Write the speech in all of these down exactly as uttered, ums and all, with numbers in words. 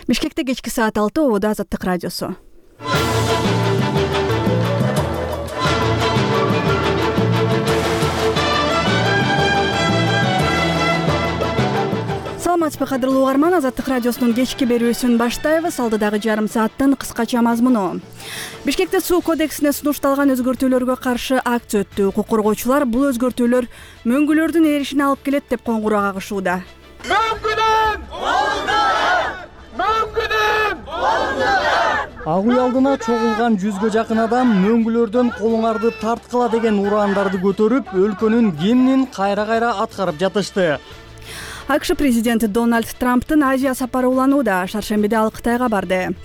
Бишкекте кечки саат алты, Ободо Азаттык радиосу. Саламатсызбы кадырлуу угарман, Азаттык радиосунун кечки берүүсүн баштайбыз. Алдыдагы жарым сааттын кыскача мазмуну. Бишкекте суу кодексине сунушталган өзгөртүүлөргө каршы акция өттү. Укук коргоочулар бул өзгөртүүлөр мөңгүлөрдүн эришине алып келет деп коңгуроо кагышууда. Мөңгүнүм! Мөңгүнүм! Ак үй алдына чогулган жүзгө жакын адам мөңгүлөрдөн колуңарды тарткыла деген ураандарды көтөрүп, өлкөнүн кеминин кайра-кайра аткарып жатышты. АКШ президенти Дональд Трамптын Азия сапары уланууда. Шаршембиде ал Кытайга барды.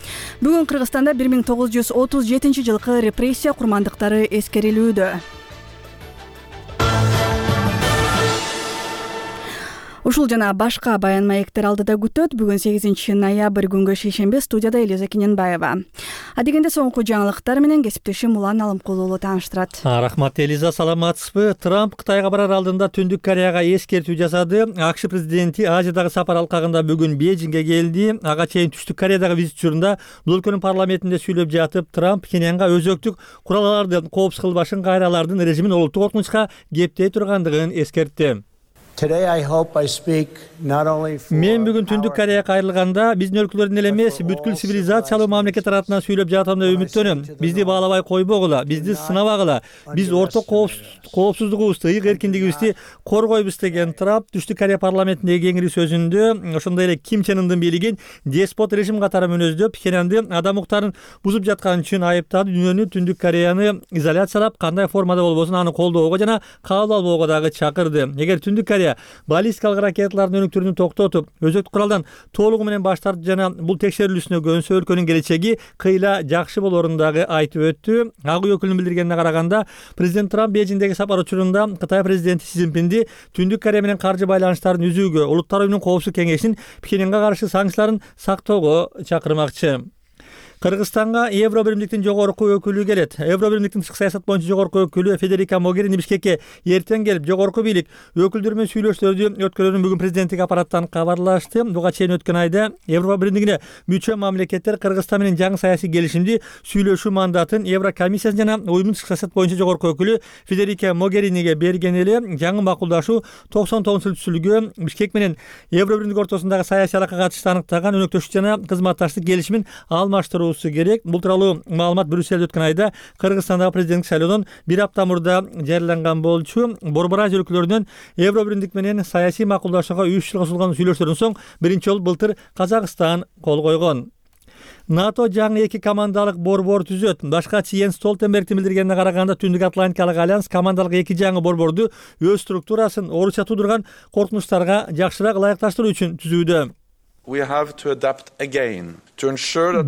Бүгүн Кыргызстанда бир миң тогуз жүз отуз жетинчи жылкы репрессия курмандыктары эскерилүүдө. Ушул жана башка баян маектер алдыда күтөт. Бүгүн сегизинчи ноябрь күнгө шейшемби, студияда Элиза Кененбаева. Адегенде соңку жаңылыктар менен кесиптешим Улан Алымкулуу уулу тааныштырат. Рахмат Элиза, саламатсызбы? Трамп Кытайга барар алдында Түндүк Кореяга эскертүү жасады. АКШ президенти Азиядагы сапар алкагында бүгүн Бейжиңге келди. Ага чейин Түштүк Кореядагы визит учурунда бул өлкөнүн парламентинде сүйлөп жатып, Трамп Пхеньянга өзөктүк куралларды коопсуз кылбашын кайралардын режимин олуттук коркунучка кептей тургандыгын эскертти. Мен бүгүн Түндүк Кореяга кайрылганда биздин өлкөлөрдүн эле эмес, бүткүл цивилизациялуу мамлекеттер атынан сүйлөп жатам деп үмүттөнөм. Бизди баалабай койбогула, бизди сынабагыла. Биз орток коопсуздугубузду, ыйык эркиндигибизди коргойбуз деген Трамп Түштүк Корея парламентиндеги кеңири сөзүндө ошондой эле Ким Чен Ындын бийлигин деспот режим катары мүнөздөп, Пхеньянды адам укуктарын бузуп жаткан үчүн айыптады. Дүйнөнү, Түндүк Кореяны изоляциялап, кандай формада болбосун аны колдоого жана кабыл албоого дагы чакырды. Эгер Түндүк Корея баллистикалык ракеталардын өнүктүрүүнү токтотуп, өзөктүк куралдан толугу менен баш тартып жана бул текшерилүүсүнө көнсө, өлкөнүн келечеги кыйла жакшы болорун дагы айтып өттү. Ак үй өкүлүнүн билдиргенине караганда, президент Трамп Бейжиңдеги сапар учурунда Кытай президенти Си Цзиньпинди Түндүк Корея менен каржы байланыштарын үзүүгө, Улуттар уюмунун коопсуздук кеңешинин Пхеньянга каршы санкцияларын сактоого чакырмакчы. Кыргызстанга Евро биримдиктин жогорку өкүлү келет. Евро биримдиктин тышкы саясат боюнча жогорку өкүлү Федерика Могерини Бишкекке эртең келип, жогорку бийлик өкүлдөр менен сүйлөшүүлөрдү өткөрүүнү бүгүн президенттик аппараттан кабарлашты. Буга чейин өткөн айда Евро биримдигине мүчө мамлекеттер Кыргызстан менен жаңы саясий келишимди сүйлөшүү мандатын Евро комиссиясы жана уюмдун тышкы саясат боюнча жогорку өкүлү Федерика Могериниге берген эле. Жаңы макулдашуу токсон тогузунчу түзүлгөн Бишкек менен Евро биримдик ортосундагы саясий алака катышты аныктаган өнөктөштүк жана кызматташтык келишимин алмаштыруу керек. Бул тууралуу маалымат Брюссельде өткөн айда Кыргызстандагы президенттик шайлоодон бир апта мурда жарыяланган болчу. Борбор Азия өлкөлөрүнөн Евро биримдик менен саясий макулдашууга үч жылга созулган сүйлөшүүлөрдөн соң биринчи жолу былтыр Казакстан кол койгон. НАТО жаңы эки командалык борбор түзөт. Башкачы Йенс Столтенбергдин билдиргенине караганда, Түндүк Атлантикалык альянс командалык эки жаңы борборду өз структурасын Орусия туудурган коркунучтарга жакшыраак ылайыкташтыруу үчүн түзүүдө.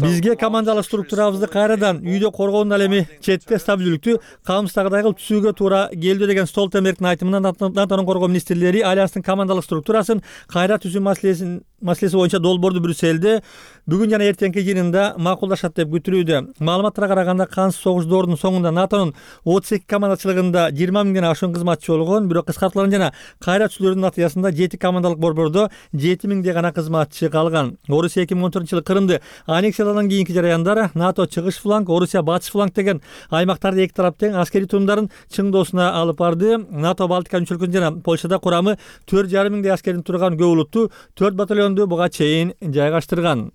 Бизге командалык структурабызды кайрадан үйдө коргоонун ал эми четте стабилдүүлүктү камсыздагыдай кылып түзүүгө туура келди деген Столтенбергдин айтымынан НАТОнун коргоо министрлери альянстын командалык структурасын кайра түзүү маселесин маселеси боюнча долбоорду Брюссельде бүгүн жана эртеңки жыйынында макулдашат деп күтүлүүдө. Маалыматтарга караганда, кансыз согуш доорунун соңунда НАТОнун отуз эки командачылыгында жыйырма миңден ашуун кызматчы болгон, бирок кыскартылган жана кайра түзүүлөрдүн натыйжасында жети командалык борбордо жети миңдей гана кызматчы калган. Орусия эки миң он төртүнчү жылы Крымды аннексиялагандан кийинки жараяндар НАТО чыгыш фланг, Орусия батыш фланг деген аймактарды эки тарап тең аскерий турумдарын чыңдоосуна алып барды. НАТО Балтика мүчө өлкөлөрү жана Польшада курамы төрт жарым миңдей аскердин турган көп улуттуу төрт батальонду буга чейин жайгаштырган.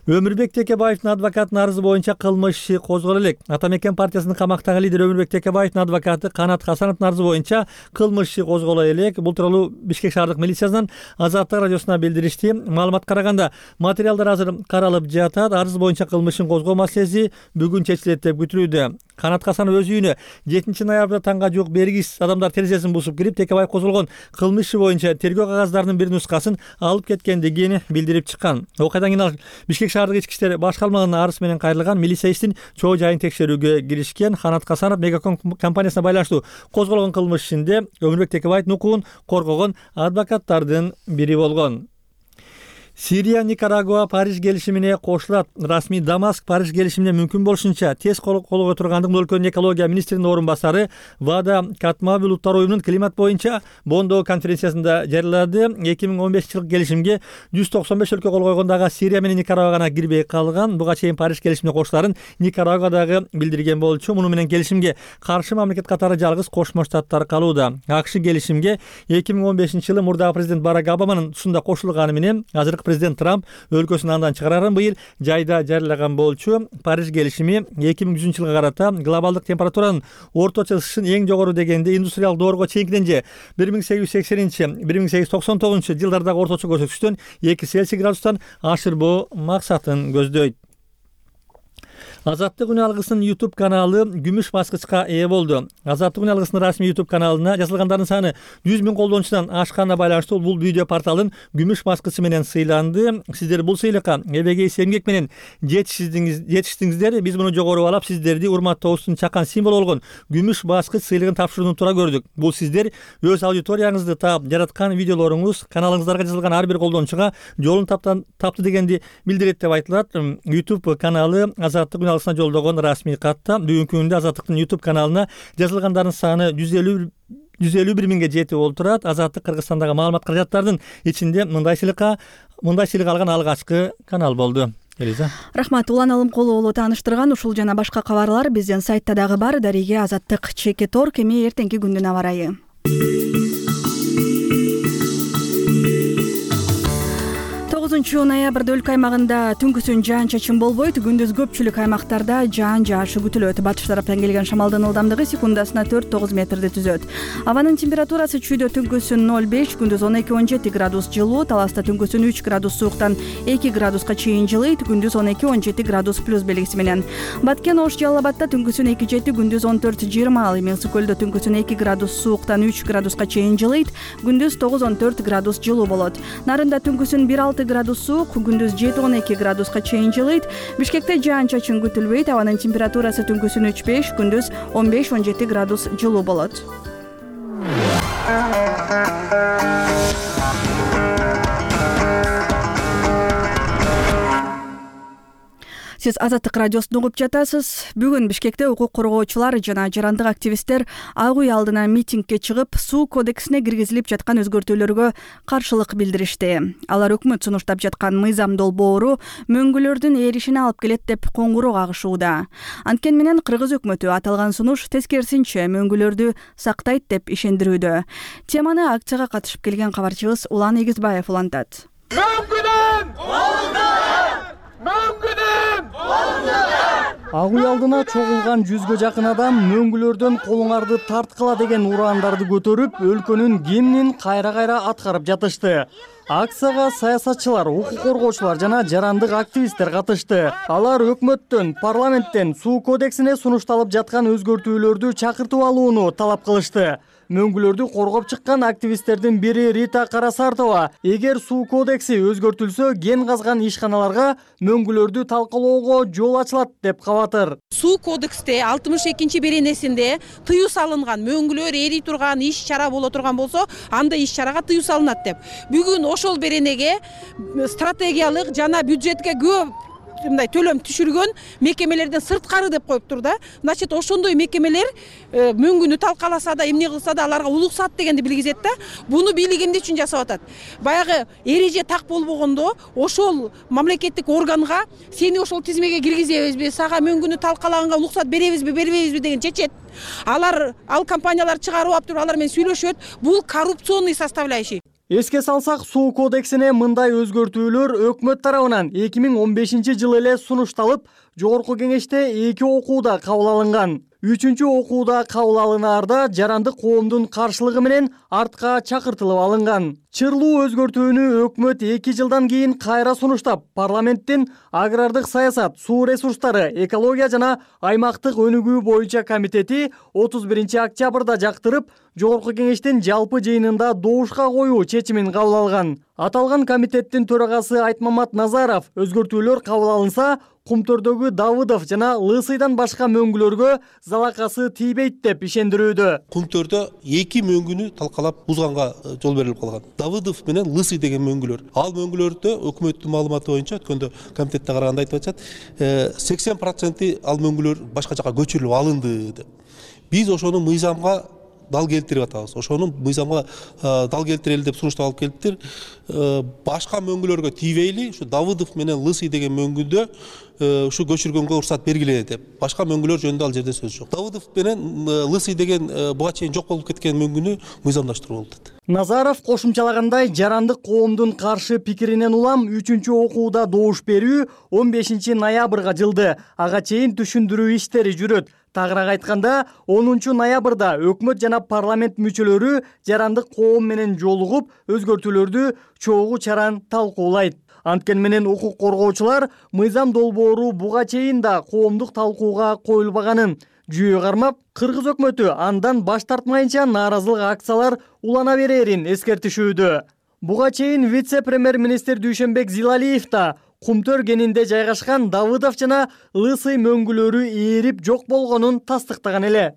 Өмүрбек Текебаевдин адвокатынын арызы боюнча кылмыш иши козголо элек. Ата Мекен партиясынын камактагы лидери Өмүрбек Текебаевдин адвокаты Канат Хасановдун арызы боюнча кылмыш иши козголо элек. Бул тууралуу Бишкек шаардык милициясынан Азаттык радиосуна билдиришти. Маалыматка караганда, материалдар азыр каралып жатат. Арыз боюнча кылмыш ишин козгоо маселеси бүгүн чечилет деп күтүлүүдө. Канат Хасанов өз үйүнө жетинчи ноябрда таңга жуук бергис адамдар терезесин бусуп кирип, Текебаев козголгон кылмыш иши боюнча тергөө кагаздарынын бир нускасын алып кеткендигин билдирип чыккан. Окуядан кийин ал Бишкек шаардык ички иштер башкармалыгына арыз менен кайрылган, милиция иштин чоо жайын текшерүүгө киришкен. Канат Хасанов Мегаком компаниясына байланыштуу козголгон кылмыш ишинде Өмүрбек Текебаевдин укугун коргогон адвокаттардын бири болгон. Сирия, Никарагуа Париж келишимине кошулат. Расмий Дамаск Париж келишимине мүмкүн болушунча тез кол колго тургандык бул өлкөнүн экология министринин орун басары Вада Катмави Улуттар уюмунун климат боюнча Бондо конференциясында жарыялады. эки миң он бешинчи жылкы келишимге жүз токсон беш өлкө кол койгон, дагы Сирия менен Никарагуа гана кирбей калган. Буга чейин Париж келишимине кошуларын Никарагуа дагы билдирген болчу. Муну менен келишимге каршы мамлекет катары жалгыз Кошмо Штаттар калууда. АКШ келишимге эки миң он бешинчи жылы мурдагы президент Барак Обаманын тушунда кошулганы менен азыркы президент Трамп өлкөсүн андан чыгарарын быйыл жайда жарыялаган болчу. Париж келишими эки миң жүзүнчү жылга карата глобалдык температуранын орточо ысышын эң жогору дегенде индустриалдык доорго чейинкиден же бир миң сегиз жүз сексенинчи бир миң сегиз жүз токсон тогузунчу жылдардагы орточо көрсөткүчтөн эки Цельсий градустан ашырбоо максатын көздөйт. Азаттык үн алгысынын YouTube каналы күмүш баскычка ээ болду. Азаттык үн алгысынын расмий YouTube каналына жазылгандардын саны жүз миң колдонуучудан ашканына байланыштуу бул видео порталдын күмүш баскычы менен сыйланды. Сиздер бул сыйлыкка эбегей эмгек менен жетиштиңиздер. Биз муну жогору алып, сиздерди урматтообуздун чакан символу болгон күмүш баскыч сыйлыгын тапшырууну туура көрдүк. Бул сиздер өз аудиторияңызды таап жараткан видеолоруңуз каналыңыздарга жазылган ар бир колдонуучуга жолун тапты дегенди билдирет деп айтылат. YouTube каналы Азаттык үн алгысына жолдогон расмий катта бүгүнкү күндө Азаттыктын YouTube каналына жазылгандардын саны жүз элүү бир миңге жетип олтурат. Азаттык Кыргызстандагы маалымат каражаттардын ичинде мындай сыйлыкка мындай сыйлык алган алгачкы канал болду. Элиза. Рахмат. Улан Алымкулуулу тааныштырган ушул жана башка кабарлар биздин сайтта дагы бар. Дариге Азаттык чекит точка орг. Эми эртеңки күндүн аба ырайы. тогузунчу ноябрда өлкө аймагында түнкүсүн жаан-чачын болбойт. Күндүз көпчүлүк аймактарда жаан жаашы күтүлөт. Батыш тараптан келген шамалдын ылдамдыгы секундасына төрт тогуз метрди түзөт. Абанын температурасы чүйдө түнкүсүн ноль беш, күндүз он эки он жети градус жылуу, таласта түнкүсүн үч градус сууктан эки градуска чейин жылыйт, күндүз он эки он жети градус плюс белгиси менен. Баткен, Ош, Жалал Абадта түнкүсүн эки жети, күндүз он төрт жыйырма, ал эми Ысык көлдө түнкүсүн эки градус сууктан үч градуска чейин жылыйт, күндүз тогуз он төрт градус жылуу болот. Нарында түнкүсүн бир алты градус суук, күндүз жети он эки градуска чейин жылыйт. Бишкекте жаан-чачын күтүлбөйт. Абанын температурасы түнкүсүн үч беш, күндүз он беш он жети градус жылуу болот. Сиз Азаттык радиосун угуп жатасыз. Бүгүн Бишкекте укук коргоочулар жана жарандык активисттер Ак үй алдына митингге чыгып, суу кодексине киргизилип жаткан өзгөртүүлөргө каршылык билдиришти. Алар өкмөт сунуштап жаткан мыйзам долбоору мөңгүлөрдүн эришине алып келет деп коңгуроо кагышууда. Анткени менен Кыргыз өкмөтү аталган сунуш тескерисинче мөңгүлөрдү сактайт деп ишендирүүдө. Теманы акцияга катышып келген кабарчыбыз Улан Эгизбаев улантат. Мөңгүнүм! Мөңгүнүм! Ак үй алдына чогулган жүзгө жакын адам мөңгүлөрдөн колуңарды тарткыла деген ураандарды көтөрүп, өлкөнүн гимнин кайра-кайра аткарып жатышты. Акцияга саясатчылар, укук коргоочулар жана жарандык активисттер катышты. Алар өкмөттөн, парламенттен суу кодексине сунушталып жаткан өзгөртүүлөрдү чакыртып алууну талап кылышты. Мөңгүлөрдү коргоп чыккан активисттердин бири Рита Карасартова, эгер суу кодекси өзгөртүлсө, ген казган ишканаларга мөңгүлөрдү талкалоого жол ачылат деп кабатыр. Суу кодексте алтымыш экинчи беренесинде тыюу салынган, мөңгүлөр эри турган иш чара боло турган болсо, анда иш чарага тыюу салынат деп. Бүгүн ошол беренеге стратегиялык жана бюджетке көп мындай төлөм түшүргөн мекемелерден сырткары деп коюптур да. Значит, ошондой мекемелер мөңгүнү талкаласа да, эмне кылса да аларга улуксат дегенди билгизет да. Буну бийлик эмне үчүн жасап атат? Баягы эреже так болбогондо ошол мамлекеттик органга сени ошол тизмеге киргизебизби, сага мөңгүнү талкалаганга улуксат беребизби, бербейбизби деген чечет. Алар ал компаниялар чыгарып алып туруп алар менен сүйлөшөт. Бул коррупционный составляющий. Эске салсак, суу кодексине мындай өзгөртүүлөр өкмөт тарабынан эки миң он бешинчи жылы эле сунушталып, жогорку кеңеште эки окууда кабыл алынган. Үчүнчү окууда кабыл алынаарда жарандык коомдун каршылыгы менен артка чакыртылып алынган. Чырлуу өзгөртүүнү өкмөт эки жылдан кийин кайра сунуштап, парламенттин агрардык саясат, суу ресурстары, экология жана аймактык өнүгүү боюнча комитети отуз биринчи октябрда жактырып, Жогорку кеңештин жалпы жыйынында добушка коюу чечимин кабыл алган. Аталган комитеттин төрагасы Айтмамат Назаров өзгөртүүлөр кабыл алынса, Кумтөрдөгү Давыдов жана Лысыйдан башка мөңгүлөргө залакасы тийбейт деп ишендирүүдө. Кумтөрдө эки мөңгүнү талкалап бузганга жол берилип калган. Давыдов менен Лысый деген мөңгүлөр. Ал мөңгүлөрдө өкмөттүн маалыматы боюнча өткөндө комитетте караганда айтып атышат, сексен проценти ал мөңгүлөр башка жака көчүрүлүп алынды деп. Биз ошону мыйзамга дал келтирип атабыз. Ошону мыйзамга дал келтирели деп сунуштап алып келиптир. Башка мөңгүлөргө тийбейли, ушу Давыдов менен Лысый деген мөңгүдө ушу көчүргөнгө уруксат бергиле деп. Башка мөңгүлөр жөнүндө ал жерде сөз жок. Давыдов менен Лысый деген буга чейин жок болуп кеткен мөңгүнү мыйзамдаштырып болду. Назаров кошумчалагандай, жарандык коомдун каршы пикиринен улам үчүнчү окууда добуш берүү он бешинчи ноябрга жылды. Ага чейин түшүндүрүү иштери жүрөт. Тагыраак айтканда, онунчу ноябрда өкмөт жана парламент мүчөлөрү жарандык коом менен жолугуп, өзгөртүүлөрдү чогуу чаран талкуулайт. Анткени менен укук коргоочулар мыйзам долбоору буга чейин да коомдук талкууга коюлбаганын жүйө кармап, Кыргыз өкмөтү андан баш тартмайынча нааразылык акциялар улана берерин эскертишүүдө. Буга чейин вице-премьер-министр Дүйшөнбек Зилалиев да Кумтөр кенинде жайгашкан Давыдов жана Лысый мөңгүлөрү ээрип жок болгонун тастыктаган эле.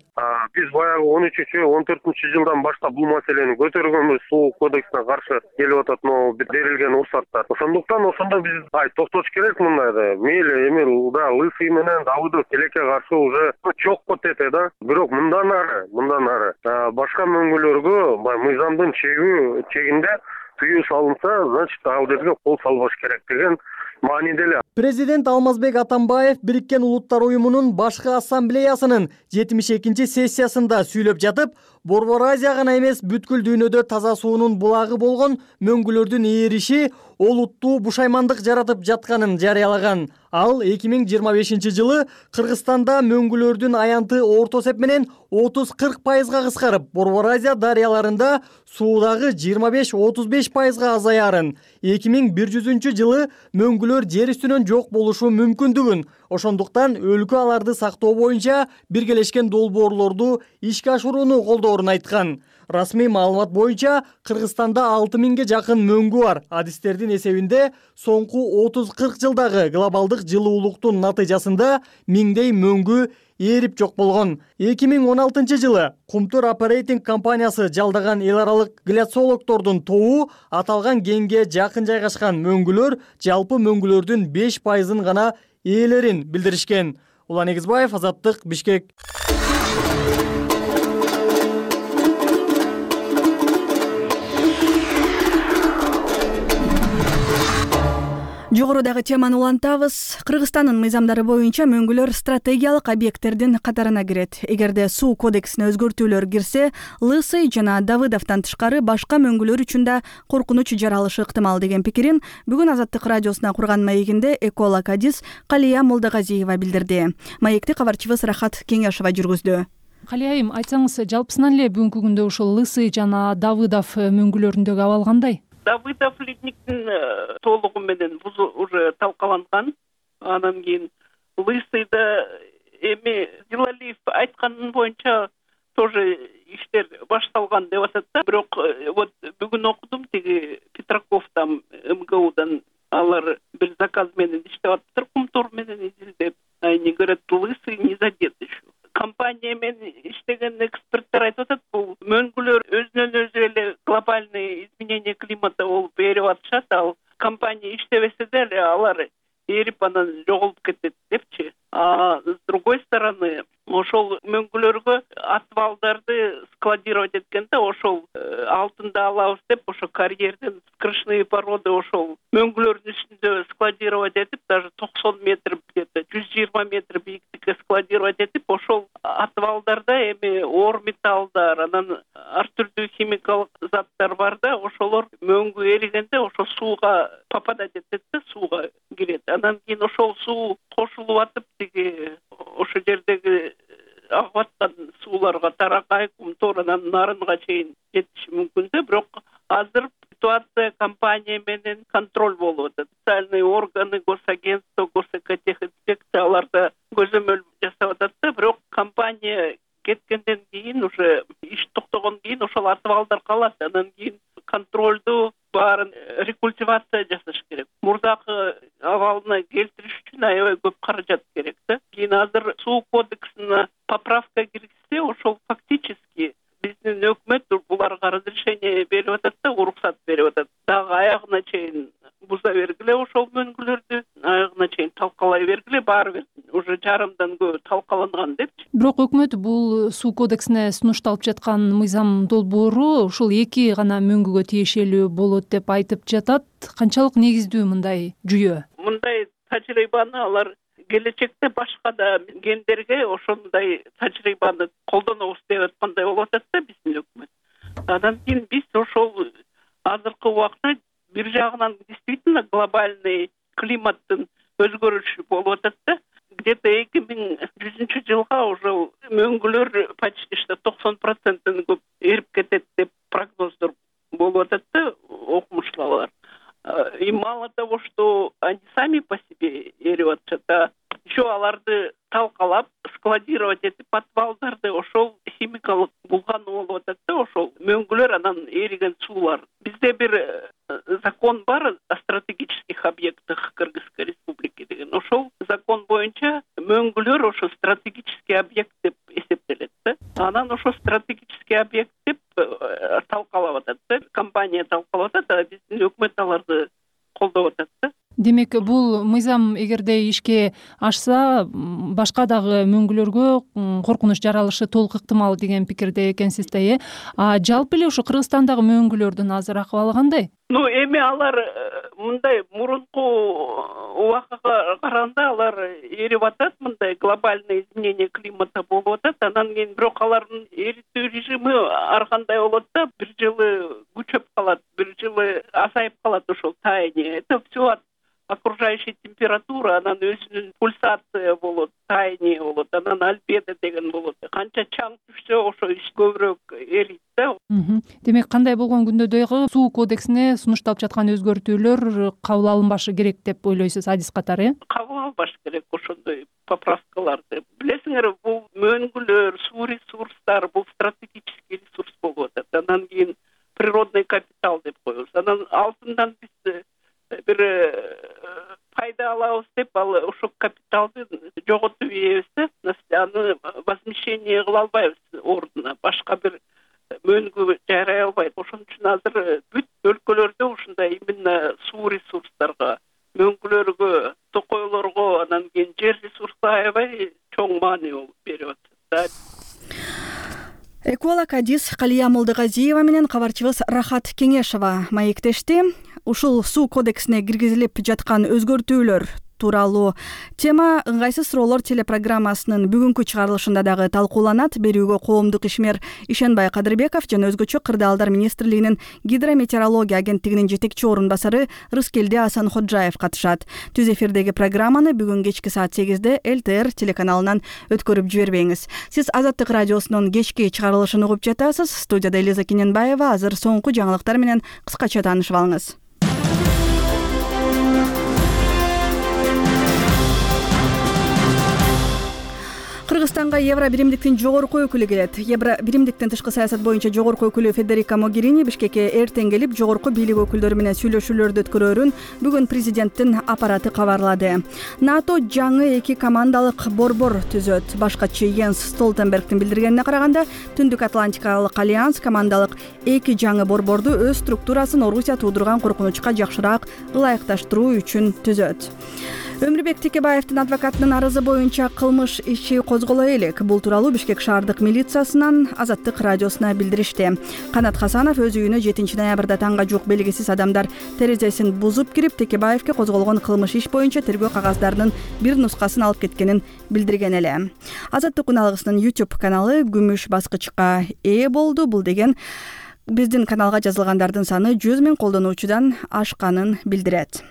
Биз баягы он үчүнчү он төртүнчү жылдан баштап бул маселени көтөргөнбүз, суу кодексине каршы келип атат могу берилген уруксаттар. Ошондуктан ошондо биз ай токтош керек мындайда. Мейли эми да Лысый менен Давыдов тилекке каршы уже чокко тете да. Бирок мындан ары, мындан ары башка мөңгүлөргө мыйзамдын чегүү чегинде тыюу салынса, значит ал жерге кол салбаш керек деген мааниде эле. Президент Алмазбек Атамбаев Бириккен Улуттар уюмунун башкы ассамблеясынын жетимиш экинчи сессиясында сүйлөп жатып, Борбор Азия гана эмес, бүткүл дүйнөдө таза суунун булагы болгон мөңгүлөрдүн ээриши олуттуу бушаймандык жаратып жатканын жарыялаган. Ал эки миң жыйырма бешинчи жылы Кыргызстанда мөңгүлөрдүн аянты орто эсеп менен отуз кырк пайызга кыскарып, Борбор Азия дарыяларында суудагы жыйырма беш отуз беш пайызга азаярын, эки миң бир жүзүнчү жылы мөңгүлөр жер үстүнөн жок болушу мүмкүндүгүн, ошондуктан өлкө аларды сактоо боюнча биргелешкен долбоорлорду ишке ашырууну колдоорун айткан. Расмий маалымат боюнча Кыргызстанда алты миңге жакын мөңгү бар. Адистердин эсебинде соңку отуз кырк жылдагы глобалдык жылуулуктун натыйжасында миңдей мөңгү ээрип жок болгон. эки миң он алтынчы жылы Кумтөр оперейтинг компаниясы жалдаган эл аралык гляциологдордун тобу аталган кенге жакын жайгашкан мөңгүлөр жалпы мөңгүлөрдүн беш пайызын гана ээлерин билдиришкен. Улан Эгизбаев, Азаттык, Бишкек. Жогорудагы теманы улантабыз. Кыргызстандын мыйзамдары боюнча мөңгүлөр стратегиялык объекттердин катарына кирет. Эгерде суу кодексине өзгөртүүлөр кирсе, Лысый жана Давыдовдон тышкары башка мөңгүлөр үчүн да коркунуч жаралышы ыктымал деген пикирин бүгүн Азаттык радиосуна курган маегинде эколог адис Калия Молдогазиева билдирди. Маекти кабарчыбыз Рахат Кеңешова жүргүздү. Калия айым, айтсаңыз, жалпысынан эле бүгүнкү күндө ушул Лысый жана Давыдов мөңгүлөрүндөгү абал кандай? Давыдов ледниктин толугу менен бузу уже талкаланган. Анан кийин Лысыйда эми Зилалиев айткан боюнча тоже иштер башталган деп атат да. Бирок вот бүгүн окудум, тиги Петраковдан МГУдан алар бир заказ менен иштеп атыптыр, Кумтор менен изилдеп. Они говорят, Лысый не задет еще. Компания менен иштеген эксперттер айтып атат, бул мөңгүлөр өзүнөн өзү эле глобальный изменение климата болуп ээрип атышат. Ал компания иштебесе деле алар ээрип анан жоголуп кетет депчи. А с другой стороны, ошол мөңгүлөргө отвалдарды складировать эткенде ошол алтында алабыз деп, ошо карьерден скрышные породы ошол мөңгүлөрдүн үстүндө складировать этип, даже токсон метр, где-то жүз жыйырма метр бийиктикке складировать этип, ошол отвалдарда эми оор металлдар, анан ар түрдүү химикалык заттар бар да, ошолор мөңгү эригенде ошо сууга попадать этет да, сууга кирет. Анан кийин ошол суу кошулуп атып, тиги ошо жердеги агып аткан сууларга Таракай, Кумтор, анан Нарынга чейин жетиши мүмкүн да. Бирок азыр ситуация компания менен контроль болуп атат. Специальный органы, госагентство, госэкотехинспекция аларда көзөмөл жасап атат да. Бирок компания кеткенден кийин уже иш токтогондон кийин кийин ошол атыбалдар калат. Анан кийин контролду баарын рекультивация жасаш керек. Мурдакы абалына келтириш үчүн аябай көп каражат керек да. Кийин азыр суу кодексине поправка киргизсе, ошол фактически биздин өкмөт буларга разрешение берип атат да, уруксат берип атат. Дагы аягына чейин буза бергиле ошол мөңгүлөрдү, аягына чейин талкалай бергиле, баары бир уже жарымдан көп талкаланган депчи. Бирок өкмөт бул суу кодексине сунушталып жаткан мыйзам долбоору ушул эки гана мөңгүгө тиешелүү болот деп айтып жатат. Канчалык негиздүү мындай жүйө? Мындай тажрыйбаны алар келечекте башка да гендерге ошондой тажрыйбаны колдонобуз деп аткандай болуп атат да биздин өкмөт. Андан кийин биз ошол азыркы убакта бир жагынан действительно глобальный климаттын өзгөрүшү болуп атат да. Где-то эки миң жүзүнчү жылга уже мөңгүлөр почти что токсон проценттен көп эрип кетет деп прогноздор болуп атат да окумуштуулар. И мало того, что они сами по себе эрип атышат, а еще аларды талкалап складировать этип подвалдарды ошол химикалык булгану болуп атат да, ошол мөңгүлөр анан эриген суулар. Бизде бир закон бар о стратегических объектах Кыргызской республики деген. Ошол закон боюнча мөңгүлөр ошо стратегический объект деп эсептелет да. Анан ошо стратегический объект деп талкалап атат да, компания талкалап атат, а биздин өкмөт аларды колдоп атат да. Демек, бул мыйзам эгерде ишке ашса, башка дагы мөңгүлөргө коркунуч жаралышы толук ыктымал деген пикирде экенсиз да, э? А жалпы эле ошо Кыргызстандагы мөңгүлөрдүн азыр акыбалы кандай? Ну, эми алар мындай мурунку убакыга караганда алар эрип атат, мындай глобальный изменение климата болуп атат. Анан кийин бирок алардын эритүү режими ар кандай болот да, бир жылы күчөп калат, бир жылы азайып калат ошол таяние. Это все от окружающей температура, анан өзүнүн пульсация болот, таяние болот, анан альбедо деген болот. Канча чаң түшсө ошо иш көбүрөөк эрийт да. Демек, кандай болгон күндө дагы суу кодексине сунушталып жаткан өзгөртүүлөр кабыл алынбашы керек деп ойлойсуз, адис катары, э? Кабыл албаш керек ошондой поправкаларды. Билесиңер, бул мөңгүлөр, суу ресурстары бул стратегический ресурс болуп атат. Анан кийин природный капитал деп коебуз. Анан алтындан биз бир пайда алабыз деп, ал ошол капиталды жоготуп ийебиз да, аны возмещение кыла албайбыз ордуна, башка бир мөңгү жарай албайт. Ошон үчүн азыр бүт өлкөлөрдө ушундай именно суу ресурстарга, мөңгүлөргө, токойлорго, анан кийин жер ресурсуна аябай чоң маани берип атат да. Эколог Адис Калия Молдогазиева менен кабарчыбыз Рахат Кеңешова маектешти. Ушул суу кодексине киргизилип жаткан өзгөртүүлөр тууралуу тема ыңгайсыз суроолор телепрограммасынын бүгүнкү чыгарылышында дагы талкууланат. Берүүгө коомдук ишмер Ишенбай Кадырбеков жана өзгөчө Кырдаалдар министрлигинин гидрометеорология агенттигинин жетекчи орун басары Рыскелди Асанходжаев катышат. Түз эфирдеги программаны бүгүн кечки саат сегизде эл тэ эр телеканалынан өткөрүп жибербеңиз. Сиз Азаттык радиосунун кечки чыгарылышын угуп жатасыз. Студияда Элиза Кененбаева. Азыр соңку жаңылыктар менен кыскача таанышып алыңыз. Кыргызстанга Евро биримдиктин жогорку өкүлү келет. Евро биримдиктин тышкы саясат боюнча жогорку өкүлү Федерика Могерини Бишкекке эртең келип, жогорку бийлик өкүлдөрү менен сүйлөшүүлөрдү өткөрөөрүн бүгүн президенттин аппараты кабарлады. НАТО жаңы эки командалык борбор түзөт. Башкачы Йенс Столтенбергдин билдиргенине караганда, Түндүк Атлантикалык альянс командалык эки жаңы борборду өз структурасын Орусия туудурган коркунучка жакшыраак ылайыкташтыруу үчүн түзөт. Өмүрбек Текебаевдин адвокатынын арызы боюнча кылмыш иши козголо элек. Бул тууралуу Бишкек шаардык милициясынан Азаттык радиосуна билдиришти. Канат Хасанов өз үйүнө жетинчи ноябрда таңга жук белгисиз адамдар терезесин бузуп кирип, Текебаевге козголгон кылмыш иш боюнча тергөө кагаздарынын бир нускасын алып кеткенин билдирген эле. Азаттык уналгысынын YouTube каналы күмүш баскычка ээ болду. Бул деген биздин каналга жазылгандардын саны жүз миң колдонуучудан ашканын билдирет.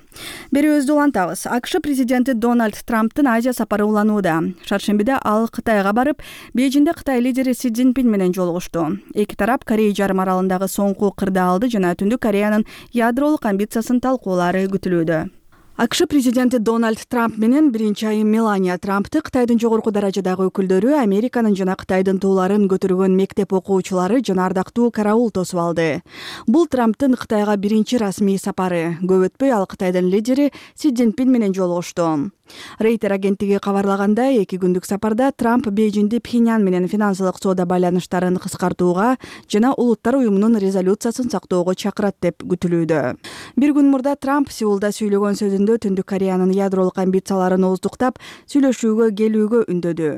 Берүүбүздү улантабыз. АКШ президенти Дональд Трамптын Азия сапары уланууда. Шаршембиде ал Кытайга барып, Бейжиңде Кытай лидери Си Цзиньпин менен жолугушту. Эки тарап Корея жарым аралындагы соңку кырдаалды жана Түндүк Кореянын ядролук амбициясын талкуулары күтүлүүдө. АКШ президенти Дональд Трамп менен биринчи айым Мелания Трампты Кытайдын жогорку даражадагы өкүлдөрү Американын жана Кытайдын тууларын көтөргөн мектеп окуучулары жана ардактуу караул тосуп алды. Бул Трамптын Кытайга биринчи расмий сапары. Көп өтпөй ал Кытайдын лидери Си Цзиньпин менен жолугушту. Рейтер агенттиги кабарлагандай, эки күндүк сапарда Трамп Бейжиңди Пхеньян менен финансылык соода байланыштарын кыскартууга жана Улуттар уюмунун резолюциясын сактоого чакырат деп күтүлүүдө. Бир күн мурда Трамп Сеулда сүйлөгөн сөзүндө Түндүк Кореянын ядролук амбицияларын ооздуктап, сүйлөшүүгө келүүгө үндөдү.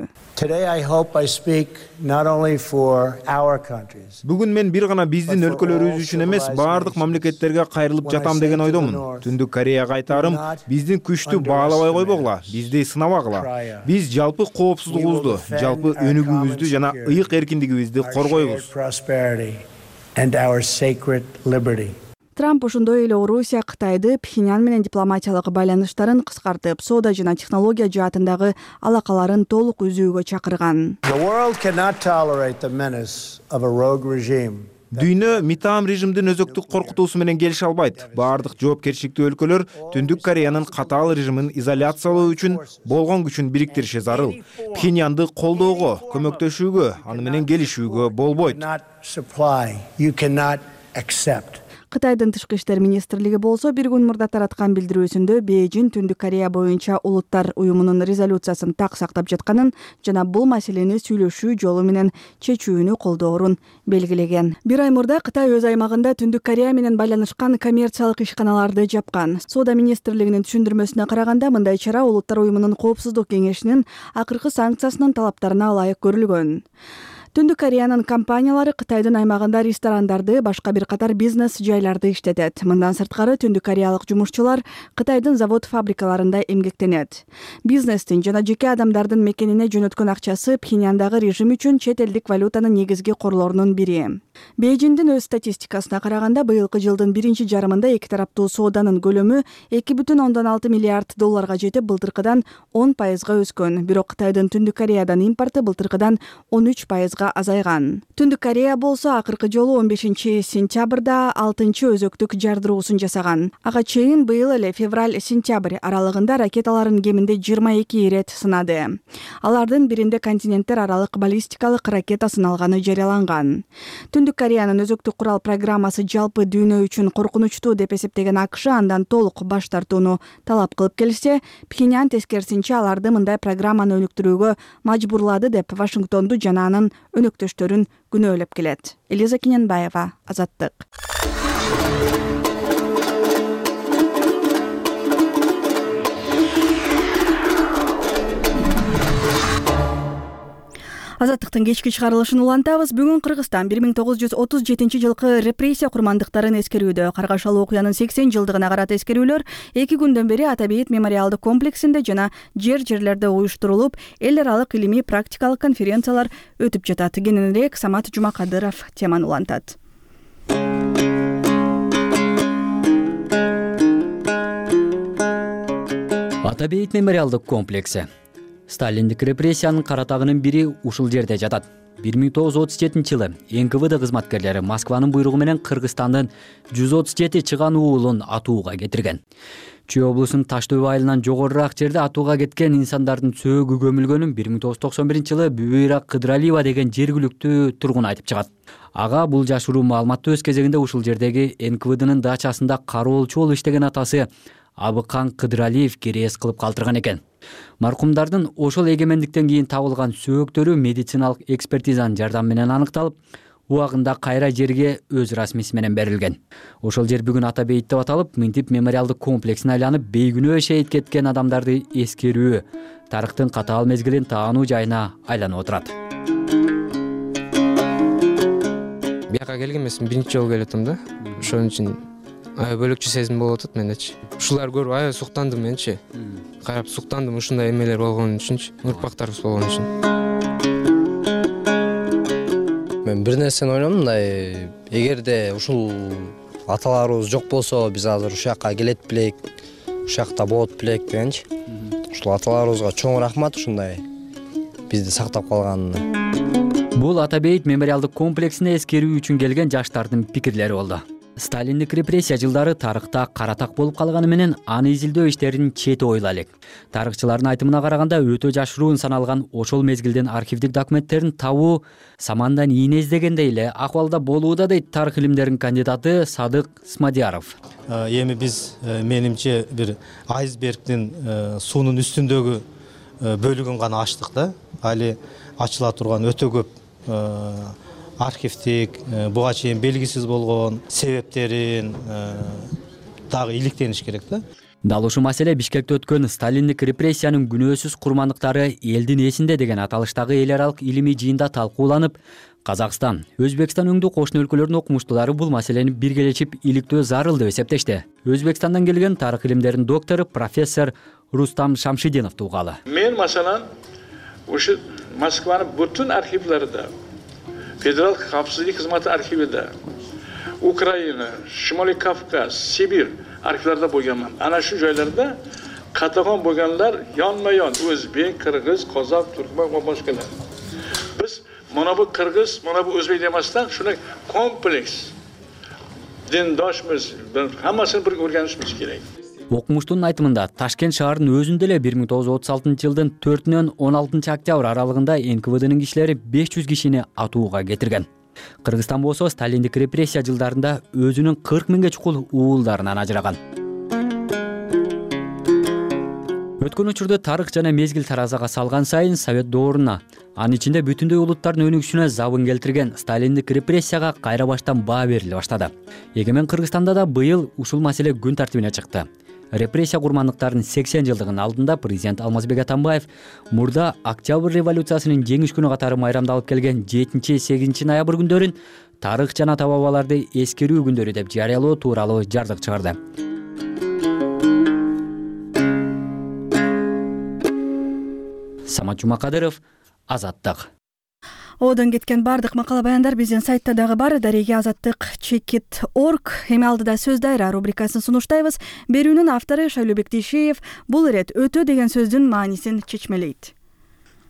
Бүгүн мен бир гана биздин өлкөлөрүбүз үчүн эмес, баардык мамлекеттерге кайрылып жатам деген ойдомун. Түндүк Кореяга айтарым, биздин күчтү баалабай койбогула, бизди сынабагыла. Биз жалпы коопсуздугубузду, жалпы өнүгүүбүздү жана ыйык эркиндигибизди коргойбуз. Трамп ошондой эле Орусия Кытайды Пхеньян менен дипломатиялык байланыштарын кыскартып, соода жана технология жаатындагы алакаларын толук үзүүгө чакырган. Дүйнө митаам режимдин өзөктүк коркутуусу менен келише албайт. Баардык жоопкерчиликтүү өлкөлөр Түндүк Кореянын катаал режимин изоляциялоо үчүн болгон күчүн бириктириши зарыл. Пхеньянды колдоого, көмөктөшүүгө, аны менен келишүүгө болбойт. Кытайдын тышкы иштер министрлиги болсо бир күн мурда тараткан билдирүүсүндө Бейжиң Түндүк Корея боюнча Улуттар уюмунун резолюциясын так сактап жатканын жана бул маселени сүйлөшүү жолу менен чечүүнү колдоорун белгилеген. Бир ай мурда Кытай өз аймагында Түндүк Корея менен байланышкан коммерциялык ишканаларды жапкан. Соода министрлигинин түшүндүрмөсүнө караганда, мындай чара Улуттар уюмунун коопсуздук кеңешинин акыркы санкциясынын талаптарына ылайык көрүлгөн. Түндүк Кореянын компаниялары Кытайдын аймагында ресторандарды, башка бир катар бизнес жайларды иштетет. Мындан сырткары Түндүк Кореялык жумушчулар Кытайдын завод-фабрикаларында эмгектенет. Бизнестин жана жеке адамдардын мекенине жөнөткөн акчасы Пхеньяндагы режим үчүн чет элдик валютанын негизги корлорунун бири. Бейжиңдин өз статистикасына караганда, быйылкы жылдын биринчи жарымында эки тараптуу сооданын көлөмү эки бүтүн ондон алты миллиард долларга жетип, былтыркыдан он пайызга өскөн. Бирок Кытайдын Түндүк Кореядан импорты былтыркыдан он үч пайызга азайган. Түндүк Корея болсо акыркы жолу он бешинчи сентябрда алтынчы өзөктүк жардыруусун жасаган. Ага чейин быйыл эле февраль-сентябрь аралыгында ракеталарын кеминде жыйырма эки ирет сынады. Алардын биринде континенттер аралык баллистикалык ракета сыналганы жарыяланган. Түндүк Кореянын өзөктүк курал программасы жалпы дүйнө үчүн коркунучтуу деп эсептеген АКШ андан толук баш тартууну талап кылып келсе, Пхеньян тескерисинче аларды мындай программаны өнүктүрүүгө мажбурлады деп Вашингтонду жана анын өнөктөштөрүн күнөөлөп келет. Элиза Кененбаева, Азаттык. Азаттыктын кечки чыгарылышын улантабыз. Бүгүн Кыргызстан бир миң тогуз жүз отуз жетинчи жылкы репрессия курмандыктарын эскерүүдө. Каргашалы окуянын сексен жылдыгына карата эскерүүлөр эки күндөн бери Ата Бейит мемориалдык комплексинде жана жер-жерлерде уюштурулуп, эл аралык илимий практикалык конференциялар өтүп жатат. Кененирээк Самат Жумакадыров теманы улантат. Ата Бейит мемориалдык комплекси Сталиндик репрессиянын каратагынын бири ушул жерде жатат. бир миң тогуз жүз отуз жетинчи жылы эн ка вэ дэ кызматкерлери Москванын буйругу менен Кыргызстандын жүз отуз жети чыган уулун атууга кетирген. Чүй облусунун Таш дөбө айылынан жогорураак жерде атууга кеткен инсандардын сөөгү көмүлгөнүн бир миң тогуз жүз токсон биринчи жылы Бүбөйра Кыдыралиева деген жергиликтүү тургун айтып чыгат. Ага бул жашыруу маалыматты өз кезегинде ушул жердеги эн ка вэ дэнин дачасында кароолчу болуп иштеген атасы Абыкан Кыдыралиев керээс кылып калтырган экен. Маркумдардын ошол эгемендиктен кийин табылган сөөктөрү медициналык экспертизанын жардамы менен аныкталып, убагында кайра жерге өз расмиси менен берилген. Ошол жер бүгүн Ата Бейит деп аталып, мынтип мемориалдык комплексине айланып, бейгүнөө шейит кеткен адамдарды эскерүү, тарыхтын катаал мезгилин таануу жайына айланып отурат. Бияка келген эмесмин, биринчи жолу келип атам да. Ошон үчүн аябай бөлөкчө сезим болуп атат мендечи. Ушуларды көрүп аябай суктандым менчи. Карап суктандым ушундай эмелер болгон үчүнчү, урпактарыбыз болгон үчүн. Мен бир нерсени ойлондум, мындай эгерде ушул аталарыбыз жок болсо, биз азыр ушул жакка келет белек, ушул жакта болот белек дегенчи. Ушул аталарыбызга чоң рахмат ушундай бизди сактап калганына. Бул Ата Бейит мемориалдык комплексине эскерүү үчүн келген жаштардын пикирлери болду. Сталиндик репрессия жылдары тарыхта каратак болуп калганы менен аны изилдөө иштерин чети ойла элек. Тарыхчылардын айтымына караганда өтө жашыруун саналган ошол мезгилдин архивдик документтерин табуу самандан ийне издегендей эле акыбалда болууда, дейт тарых илимдеринин кандидаты Садык Смадияров. Эми биз менимче бир айсбергдин суунун үстүндөгү бөлүгүн гана ачтык да. Али ачыла турган өтө көп архивдик, буга чейин белгисиз болгон себептерин дагы иликтениш керек да. Дал ушул маселе Бишкекте өткөн Сталиндик репрессиянын күнөөсүз курмандыктары элдин эсинде деген аталыштагы эл аралык илимий жыйында талкууланып, Казакстан, Өзбекстан өңдүү кошуна өлкөлөрдүн окумуштуулары бул маселени биргелешип иликтөө зарыл деп эсептешти. Өзбекстандан келген тарых илимдеринин доктору профессор Рустам Шамшидинов тугалы. Мен маселен ушу Москванын бүтүн архивлеринде, Федерал капсыздык кызматы архивиде, Украина, Шимолий Кавказ, Сибирь архивлерде болгонмун. Ана шу жайларда катагон болгонлар yonma-yon өзбек, кыргыз, казак, туркман ва башкалар. Биз мына бу кыргыз, мына бу өзбек демастан шуны комплекс диндошмуз, хаммасын бир o'rganishimiz керек. Окумуштунун айтымында Ташкент шаарынын өзүндө эле бир миң тогуз жүз отуз алтынчы жылдын төртүнөн он алтынчы октябрь аралыгында эн ка вэ дэнин кишилери беш жүз кишини атууга кетирген. Кыргызстан болсо Сталиндик репрессия жылдарында өзүнүн кырк миңге чукул уулдарынан ажыраган. Өткөн учурда тарых жана мезгил таразага салган сайын Совет дооруна, анын ичинде бүтүндөй улуттардын өнүгүшүнө забын келтирген Сталиндик репрессияга кайра баштан баа бериле баштады. Эгемен Кыргызстанда да быйыл ушул маселе күн тартибине чыкты. Репрессия курмандыктарынын сексен жылдыгынын алдында президент Алмазбек Атамбаев мурда Октябрь революциясынын жеңиш күнү катары майрамдалып келген жетинчи сегизинчи ноябрь күндөрүн тарых жана ата бабаларды эскерүү күндөрү деп жарыялоо тууралуу жардык чыгарды. Самат Жумакадыров, Азаттык. Одон кеткен бардык макала баяндар биздин сайтта дагы бар. Дареге Азаттык чекит точка орг. Эми алдыда сөз дайра рубрикасын сунуштайбыз. Берүүнүн автору Шайлообек Тишиев бул ирет өтө деген сөздүн маанисин чечмелейт.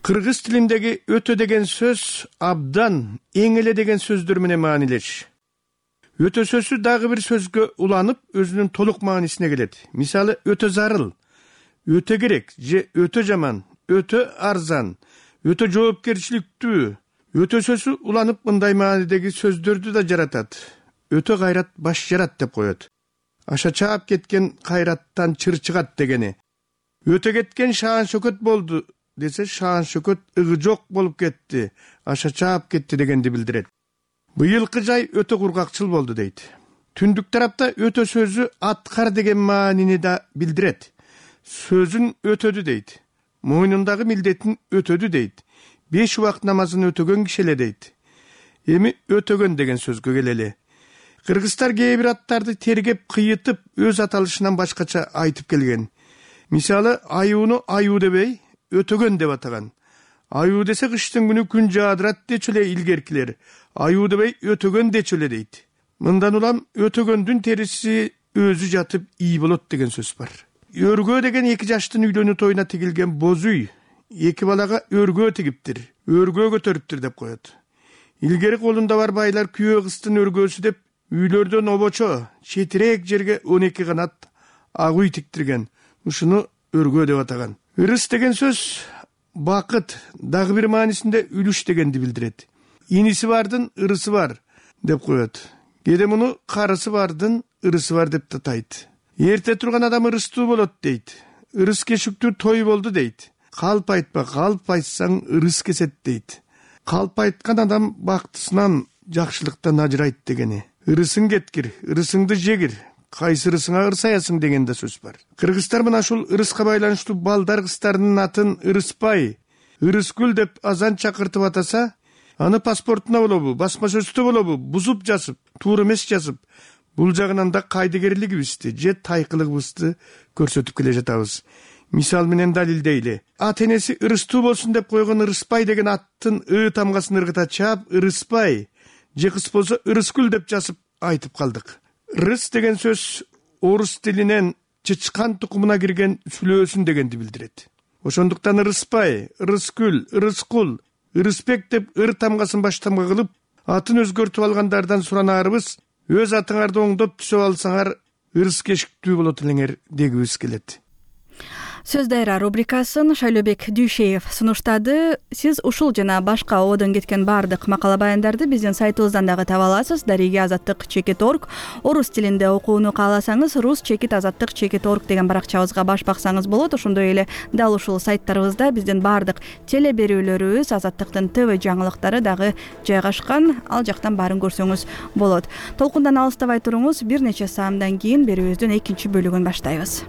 Кыргыз тилиндеги өтө деген сөз абдан, эң эле деген сөздөр менен маанилеш. Өтө сөзү дагы бир сөзгө уланып, өзүнүн толук маанисине келет. Мисалы, өтө зарыл, өтө керек же өтө жаман, өтө арзан, өтө жоопкерчиликтүү. Өтө сөзү уланып мындай маанидеги сөздөрдү да жаратат. Өтө кайрат баш жарат деп коет. Аша чаап кеткен кайраттан чыр чыгат дегени. Өтө кеткен шаан шөкөт болду десе, шаан шөкөт ыгы жок болуп кетти, аша чаап кетти дегенди билдирет. Быйылкы жай өтө кургакчыл болду дейт. Түндүк тарапта өтө сөзү аткар деген маанини да билдирет. Сөзүн өтөдү дейт. Мойнундагы милдетин өтөдү дейт. Беш убакыт намазын өтөгөн киши эле дейт. Эми өтөгөн деген сөзгө келели. Кыргыздар кээ бир аттарды тергеп, кыйытып, өз аталышынан башкача айтып келген. Мисалы, аюуну аюу дебей, өтөгөн деп атаган. Аюу десе кыштын күнү күн жаадырат дечү эле илгеркилер. Аюу дебей, өтөгөн дечү эле дейт. Мындан улам өтөгөндүн териси өзү жатып ий болот деген сөз бар. Өргөө деген эки жаштын үйлөнүү тоюна тигилген боз үй эки балага өргөө тигиптир, өргөө көтөрүптүр деп коет. Илгери колунда бар байлар күйөө кыздын өргөөсү деп үйлөрдөн обочо, четирээк жерге он эки канат ак үй тиктирген. Ушуну өргөө деп атаган. Ырыс деген сөз бакыт, дагы бир маанисинде үлүш дегенди билдирет. Иниси бардын ырысы бар деп коет. Кээде муну карысы бардын ырысы бар деп татайт. Эрте турган адам ырыстуу болот дейт. Ырыс кешүктүү той болду дейт. Калп айтпа, калп айтсаң ырыс кесет дейт. Калп айткан адам бактысынан, жакшылыктан ажырайт дегени. Ырысың кеткир, ырысыңды жегир, кайсы ырысыңа ырсаясың деген да сөз бар. Кыргыздар мына ушул ырыска байланыштуу балдар кыздардын атын Ырыспай, Ырыскүл деп азан чакыртып атаса, аны паспортуна болобу, басма сөздө болобу, бузуп жазып, туура эмес жазып, бул жагынан да кайдыгерлигибизди же тайкылыгыбызды көрсөтүп келе жатабыз. Мисал менен далилдейли. Ат энеси ырыстуу болсун деп койгон Ырыспай деген аттын ы тамгасын ыргыта чаап Ырыспай, же кыз болсо Ырыскүл деп жазып айтып калдык. Рыс деген сөз орус тилинен чычкан тукумуна кирген сүлөөсүн дегенди билдирет. Ошондуктан Ырыспай, Ырыскүл, Ырыскул, Ырысбек деп ыр тамгасын баш тамга кылып, атын өзгөртүп алгандардан суранаарыбыз, өз атыңарды оңдоп түзөп алсаңар ырыс кешиктүү болот элеңер дегибиз келет. Сөз дайра рубрикасын Шайлообек Дүйшеев сунуштады. Сиз ушул жана башка ободон кеткен баардык макала баяндарды биздин сайтыбыздан дагы таба аласыз. Дареги азаттык чекит орг. Орус тилинде окууну кааласаңыз рус чекит азаттык чекит орг деген баракчабызга баш баксаңыз болот. Ошондой эле дал ушул сайттарыбызда биздин баардык теле берүүлөрүбүз, азаттыктын ТВ жаңылыктары дагы жайгашкан. Ал жактан баарын көрсөңүз болот. Толкундан алыстабай туруңуз. Бир нече саамдан кийин берүүбүздүн экинчи бөлүгүн баштайбыз.